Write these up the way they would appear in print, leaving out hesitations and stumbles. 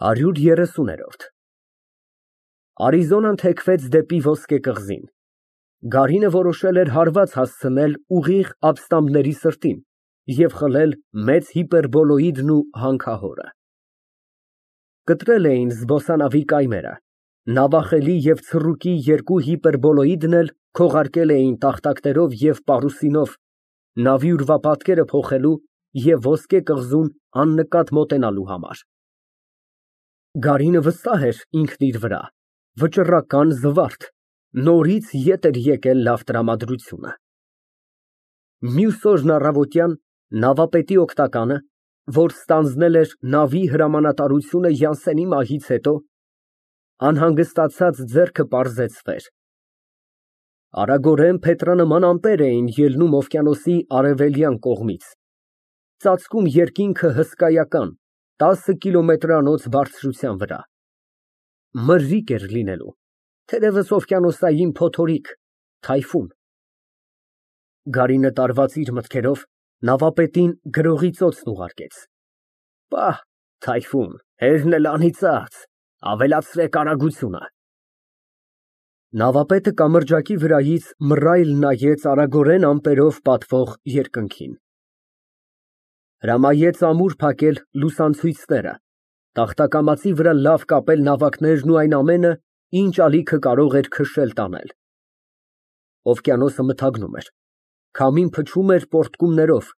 130։ Արիզոնան թեքվեց դեպի ոսկե կղզին։ Գարինը որոշել էր հարված հասցնել ուղիղ ապստամբների սրտին և խլել մեծ հիպերբոլոիդն ու հանքահորը։ Կտրել էին զբոսանավի կայմերը, նավախելի և ցռուկի երկու հիպերբոլոիդն էլ քողարկել էին տախտակներով և պարուսինով նավի ուրվապատկերը փոխելու և ոսկե կղզուն աննկատ մոտենալու համար։ Գարինը վստահ էր ինքն իր վրա, վճռական, զվարթ, նորից ետ էր եկել լավ տրամադրությունը։ Մյուս օրն առավոտյան նավապետի օգնականը, որ ստանձնել էր նավի հրամանատարությունը Յանսենի մահից հետո, անհանգստացած ձեռքը պարզեցվեր։ Արագորեն փետրանման ամպեր էին ելնում օվկիանոսի արևելյան կողմից, ծածկում երկինքը հսկայական 10 կիլոմետրանոց բարձրության վրա։ Մրրիկ էր լինելու, թերևս օվկիանոսային փոթորիկ, թայֆուն։ Գարինը տարված իր մտքերով նավապետին գրողի ծոցն ուղարկեց։ Պահ, թայֆուն, հերն էլ անիծած, ավելացրեք արագությունը։ Նավապետը կամրջակի վրայից մռայլ նայեց արագորեն ամպերով պատվող երկնքին։ Հրամայեց ամուր փակել լուսանցույցները, տախտակամածի վրա լավ կապել նավակներն ու այն ամենը, ինչ ալիքը կարող էր քշել տանել։ Օվկիանոսը մթագնում էր, քամին փչում էր պոռթկումներով,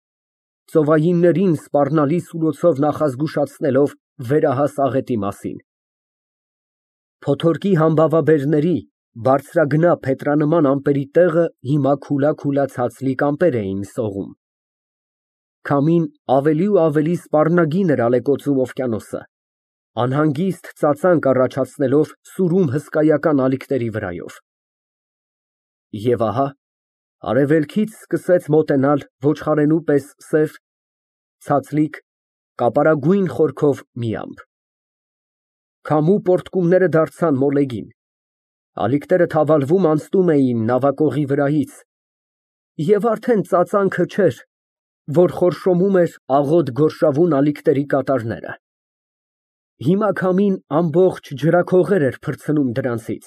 ծովայիններին սպառնալի սուլոցով նախազգուշացնելով վերահաս աղետի մասին։ Փոթորկի համբավաբերների բարձրագնա փետրանման ամպերի տեղը հիմա քուլա ցածլիկ ամպեր էին սողում։ Քամին ավելի ու ավելի սպառնագին էր ալեկոծում օվկիանոսը, անհանգիստ ծածանք առաջացնելով սուրում հսկայական ալիքների վրայով։ Եվ ահա արևելքից սկսեց մոտենալ ոչխարենու պես սև, ցածլիկ, կապարագույն խորքով մի ամպ։ Քամու պոռթկումները դարձան մոլեգին, ալիքները թավալվում անցնում էին նավակողի վրայից, և արդեն ծածանքը չէր, որ խորշոմում էր աղոտ գորշավուն ալիքների կատարները։ Հիմա քամին ամբողջ ջրաքողեր էր փրցնում դրանցից,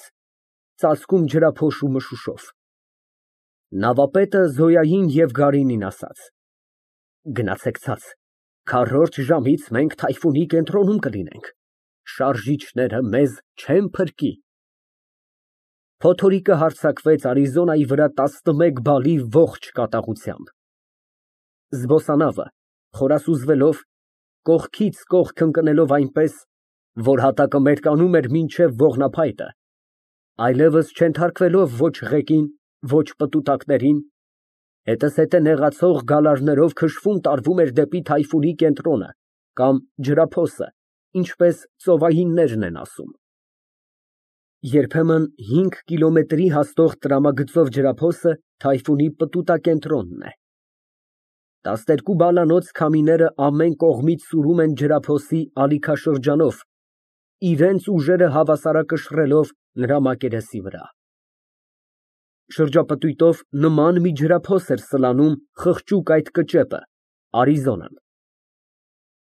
ծածկում ջրափոշու մշուշով։ Նավապետը Զոյային և Գարինին ասաց. Գնացեք ցած, քառորդ ժամից մենք թայֆունի կենտրոնում կլինենք, շարժիչները մեզ չեն փրկի։ Փոթորիկը հարձակվեց Արիզոնայի վրա 11 բալի ողջ կատաղությամբ։ Զբոսանավը, խորասուզվելով, կողքից կողք ընկնելով այնպես, որ հատակը մերկանում էր մինչև ողնափայտը, այլևս չենթարկվելով ոչ ղեկին, ոչ պտուտակներին, հետզհետե նեղացող գալարներով քշվում տարվում էր դեպի թայֆունի կենտրոնը կամ ջրափոսը, ինչպես ծովայիններն են ասում։ Երբեմն 5 կիլոմետրի հաստող տրամագծով ջրափոսը թայֆունի պտուտակենտրոնն է։ 12 բալանոց քամիները ամեն կողմից սուրում են ջրափոսի ալիքաշրջանով, իրենց ուժերը հավասարակշռելով նրա մակերեսի վրա։ Շրջապտույտով նման մի ջրափոս էր սլանում խղճուկ այդ կճեպը, Արիզոնան։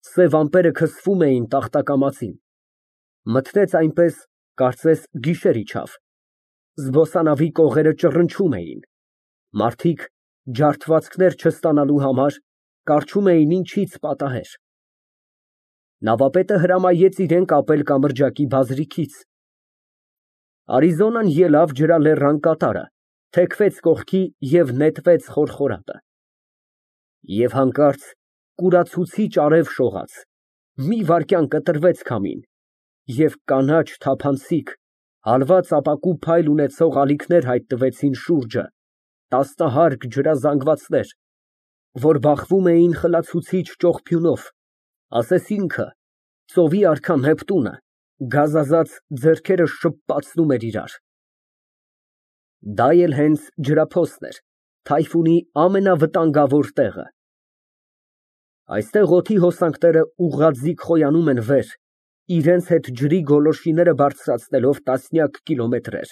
Սև ամպերը քսվում էին տախտակամածին, մթնեց այնպես, կարծես գիշեր իջավ, զբոսանավի կողերը ճռնչում էին, մարդիկ, ջարդվածքներ չստանալու համար, կառչում էին ինչից պատահեր։ Նավապետը հրամայեց իրան կապել կամրջակի բազրիքից։ Արիզոնան ելավ ջրալեռան կատարը, թեքվեց կողքի և նետվեց խորխորատը։ Եվ հանկարծ կուրացուցիչ արև շողաց, մի վայրկյան կտրվեց քամին, և կանաչ թափանցիկ, հալված ապակու փայլ ունեցող ալիքներ հայտնվեցին շուրջը, տասնահարկ ջրազանգվածներ, որ բախվում էին խլացուցիչ ճողփյունով, ասես ինքը, ծովի արքա Նեպտունը, գազազած ձեռքերը շպացնում էր իրար։ Դա էլ հենց ջրափոսն էր, թայֆունի ամենավտանգավոր տեղը։ Այստեղ օդի հոսանքները ուղղաձիգ խոյանում են վեր, իրենց հետ ջրի գոլորշիները բարձրացնելով տասնյակ կիլոմետրեր,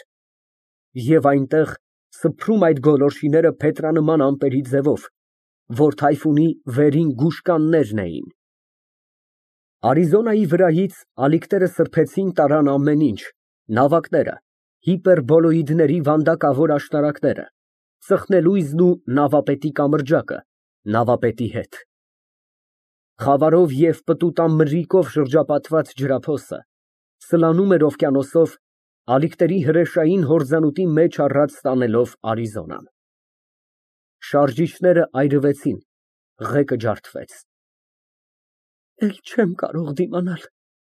և այնտեղ սփռում այդ գոլորշիները փետրանման ամպերի ձևով, որ թայֆունի վերին գուշկաններն էին։ Արիզոնայի վրայից ալիքները սրբեցին տարան ամեն ինչ, նավակները, հիպերբոլոիդների վանդակավոր աշտարակները, ծխնելույզն ու նավապետի կամրջակը, նավապետի հետ։ Խավարով և պտուտամրրիկով շրջապատված ջրափոսը սլանում էր օվկիանոսով, ալիքների հրեշային հորձանուտի մեջ առած տանելով Արիզոնան։ Շարժիչները այրվեցին, ղեկը ջարդվեց։ Էլ չեմ կարող դիմանալ,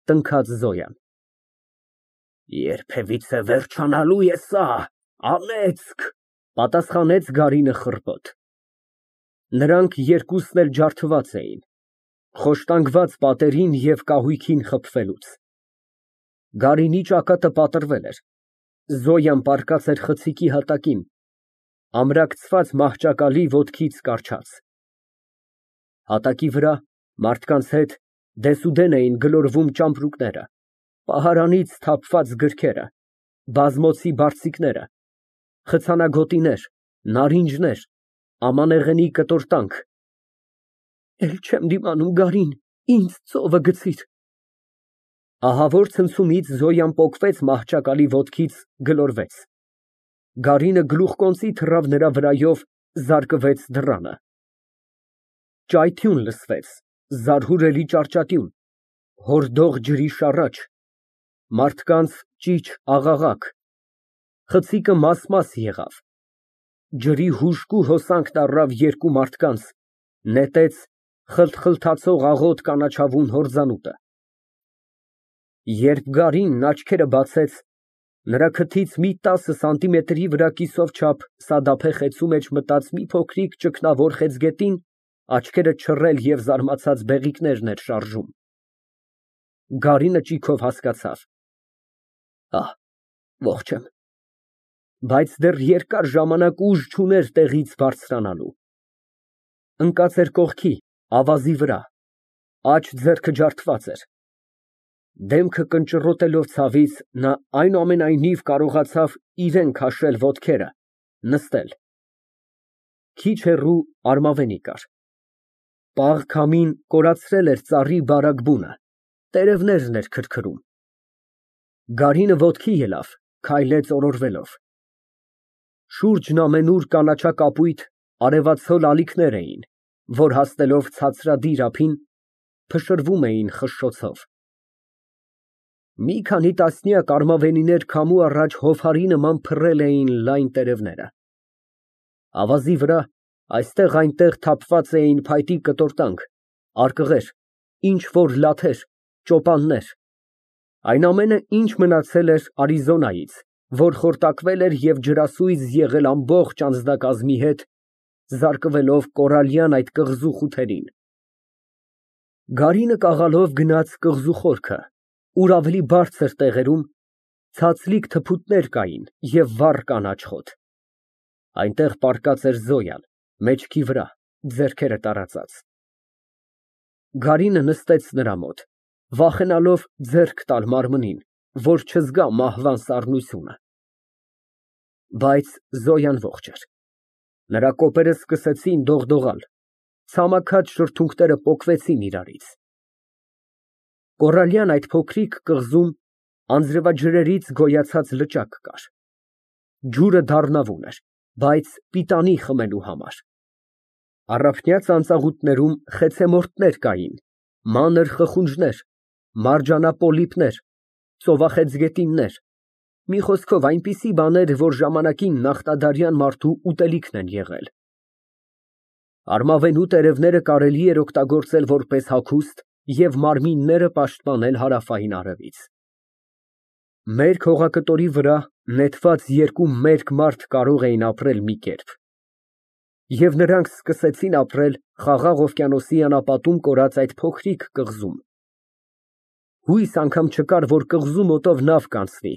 տնքաց Զոյան։ Երբևիցե վերջանալու է սա, անեծք, պատասխանեց Գարինը խռպոտ։ Նրանք երկուսն էլ ջարդված էին, խոշտանգված պատերին և կահույքին խփվելուց։ Գարինի ճակատը պատռվել էր, Զոյան պառկած էր խցիկի հատակին, ամրակցված մահճակալի ոտքից կառչած։ Հատակի վրա մարդկանց հետ դեսուդեն էին գլորվում ճամպրուկները, պահարանից թափված գրքերը, բազմոցի բարձիկները, խցանագոտիներ, նարինջներ, ամանեղենի կտորտանք։ Էլ չեմ դիմանում, Գարին, ինձ ծովը գցիր։ Ահավոր ցնցումից Զոյան պոկվեց մահճակալի ոտքից, գլորվեց։ Գարինը գլուխկոնծի թռավ նրա վրայով, զարկվեց դռանը։ Ճայթյուն լսվեց, զարհուրելի ճառճատյուն, հորդող ջրի շառաչ, մարդկանց ճիչ աղաղակ, խցիկը մաս եղավ, ջրի հուժկու հոսանքն առավ երկու մարդկանց, նետեց խլթխլթացող աղոտ կանաչավուն հորձանուտը։ Երբ Գարինն աչքերը բացեց, նրա քթից մի 10 սանտիմետրի վրա կիսով չափ սադափե խեցու մեջ մտած մի փոքրիկ ճգնավոր խեցգետին աչքերը չռել և զարմացած բեղիկներն էր շարժում։ Գարինը ճիգով հասկացավ. Ահ, ողջ եմ։ Բայց դեռ երկար ժամանակ ուժ չուներ տեղից բարձրանալու։ Ընկած էր կողքի, ավազի վրա, աջ ձեռքը ջարդված էր։ Դեմքը կնճռոտելով ցավից, նա այնուամենայնիվ կարողացավ իրան քաշել ոտքերը, նստել։ Քիչ հեռու արմավենի կար։ Պաղ քամին կորացրել էր ծառի բարակ բունը, տերևներն էր քրքրում։ Գարինը ոտքի ելավ, քայլեց օրորվելով։ Շուրջն ամենուր կանաչակապույտ, արևացol ալիքներ էին, որ հասնելով ցածրադիր ափին, փշրվում էին խշշոցով։ Մի քանի տասնյակ արմավենիներ քամու առաջ հովհարի նման փռել էին լայն տերևները։ Ավազի վրա այստեղ֊այնտեղ թափված էին փայտի կտորտանք, արկղեր, ինչ֊որ լաթեր, ճոպաններ, այն ամենը, ինչ մնացել էր Արիզոնայից, որ խորտակվել էր և ջրասույզ եղել ամբողջ անձնակազմի հետ, զարկվելով կորալյան այդ կղզու խութերին։ Գարինը կաղալով գնաց կղզու խորքը, ուր ավելի բարձր տեղերում ցածլիկ թփուտներ կային և վառ կանաչ խոտ։ Այնտեղ պառկած էր Զոյան, մեջքի վրա, ձեռքերը տարածած։ Գարինը նստեց նրա մոտ, վախենալով ձեռք տալ մարմնին, որ չզգա մահվան սառնությունը։ Բայց Զոյան ողջ էր։ Նրա կոպերը սկսեցին դողդողալ, ցամաքած շրթունքները պոկվեցին իրարից։ Կորալյան այդ փոքրիկ կղզում անձրևաջրերից գոյացած լճակ կար։ Ջուրը դառնավուն էր, բայց պիտանի խմելու համար։ Առափնյա ծանծաղուտներում խեցեմորտներ կային, մանր խխունջներ, մարջանապոլիպներ, ծովախեցգետիններ, մի խոսքով այնպիսի բաներ, որ ժամանակին նախնադարյան մարդու ուտելիքն են եղել։ Արմավենու տերևները կարելի էր օգտագործել որպես հագուստ և մարմինները պաշտպանել հարավային արևից։ Մերկ հողակտորի վրա նետված երկու մերկ մարդ կարող էին ապրել մի կերպ։ Եվ նրանք սկսեցին ապրել Խաղաղ օվկիանոսի անապատում կորած այդ փոքրիկ կղզում։ Հույս անգամ չկար, որ կղզու մոտով նավ կանցնի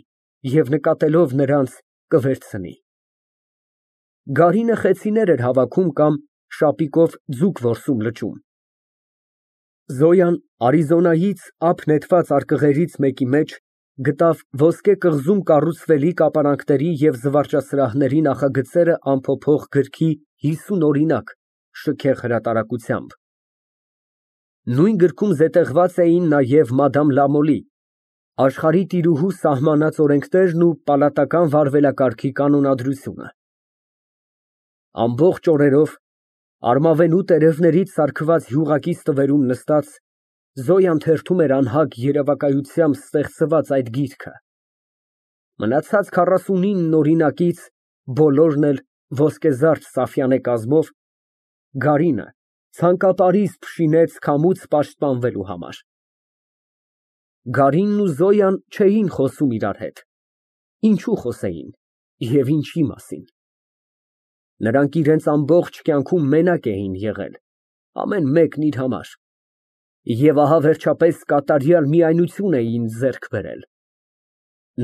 և նկատելով նրանց կվերցնի։ Գարինը խեցիներ էր հավաքում կամ շապիկով ձուկ որսում լճում։ Զոյան Արիզոնայից ափ նետված արկղերից մեկի մեջ գտավ ոսկե կղզում կառուցվելիք ապարանքների և զվարճասրահների նախագծերը ամփոփող գրքի 50 օրինակ շքեղ հրատարակությամբ։ Նույն գրքում զետեղված էին նաև Մադամ Լամոլի, աշխարհի տիրուհու սահմանած օրենքներն ու պալատական վարվելակարգի կանոնադրությունը։ Ամբողջ օրերով, արմավենու տերևներից սարքված յուղակի ստվերում նստած, Զոյան թերթում էր անհագ երևակայությամբ ստեղծված այդ գիրքը։ Մնացած 49 օրինակից բոլորն էլ ոսկեզարդ սաֆյանե կազմով, Գարինը ցանկապարիս փշինեց քամուց պաշտպանվելու համար։ Գարինն ու Զոյան չէին խոսում իրար հետ, ինչու խոսեին և ինչի մասին։ Նրանք իրենց ամբողջ կյանքում մենակ էին եղել, ամեն մեկն իր համար, և ահա վերջապես կատարյալ միայնություն էին ձեռք բերել։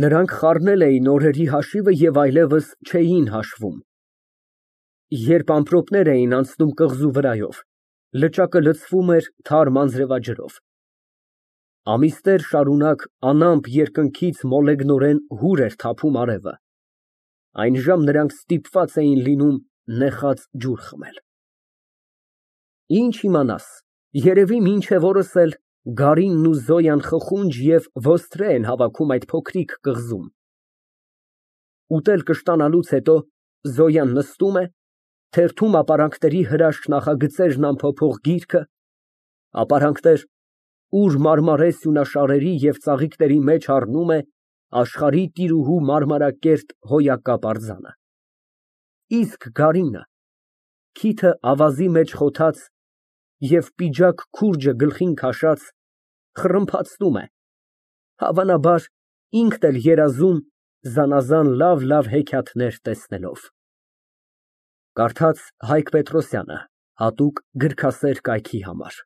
Նրանք խառնել էին օրերի հաշիվը և այլևս չէին հաշվում։ Երբ ամպրոպներ էին անցնում կղզու վրայով, լճակը լցվում էր թարմ անձրևաջրով։ Ամիսներ շարունակ անամպ երկնքից մոլեգնորեն հուր էր թափում արևը, այնժամ նրանք ստիպված էին լինում նեխած ջուր խմել։ Ինչ իմանաս, երևի մինչև օրս էլ Գարինն ու Զոյան խխունջ և ոստրե են հավաքում այդ փոքրիկ կղզում։ Ուտել կշտանալուց հետո Զոյան նստում է, թերթում ապարանքների հրաշք նախագծերն ամփոփող գիրքը, ապարանքներ, ուր մարմարե սյունաշարերի և ծաղիկների մեջ առնում է աշխարհի տիրուհու մարմարակերտ հոյակապ արձանը։ Իսկ Գարինը, քիթը ավազի մեջ խոթած և պիջակ քուրջը գլխին քաշած, խռմփացնում է, հավանաբար, ինքն էլ երազում զանազան լավ հեքիաթներ տեսնելով։ Կարդաց Հայկ Պետրոսյանը, հատուկ գրքասեր կայքի համար։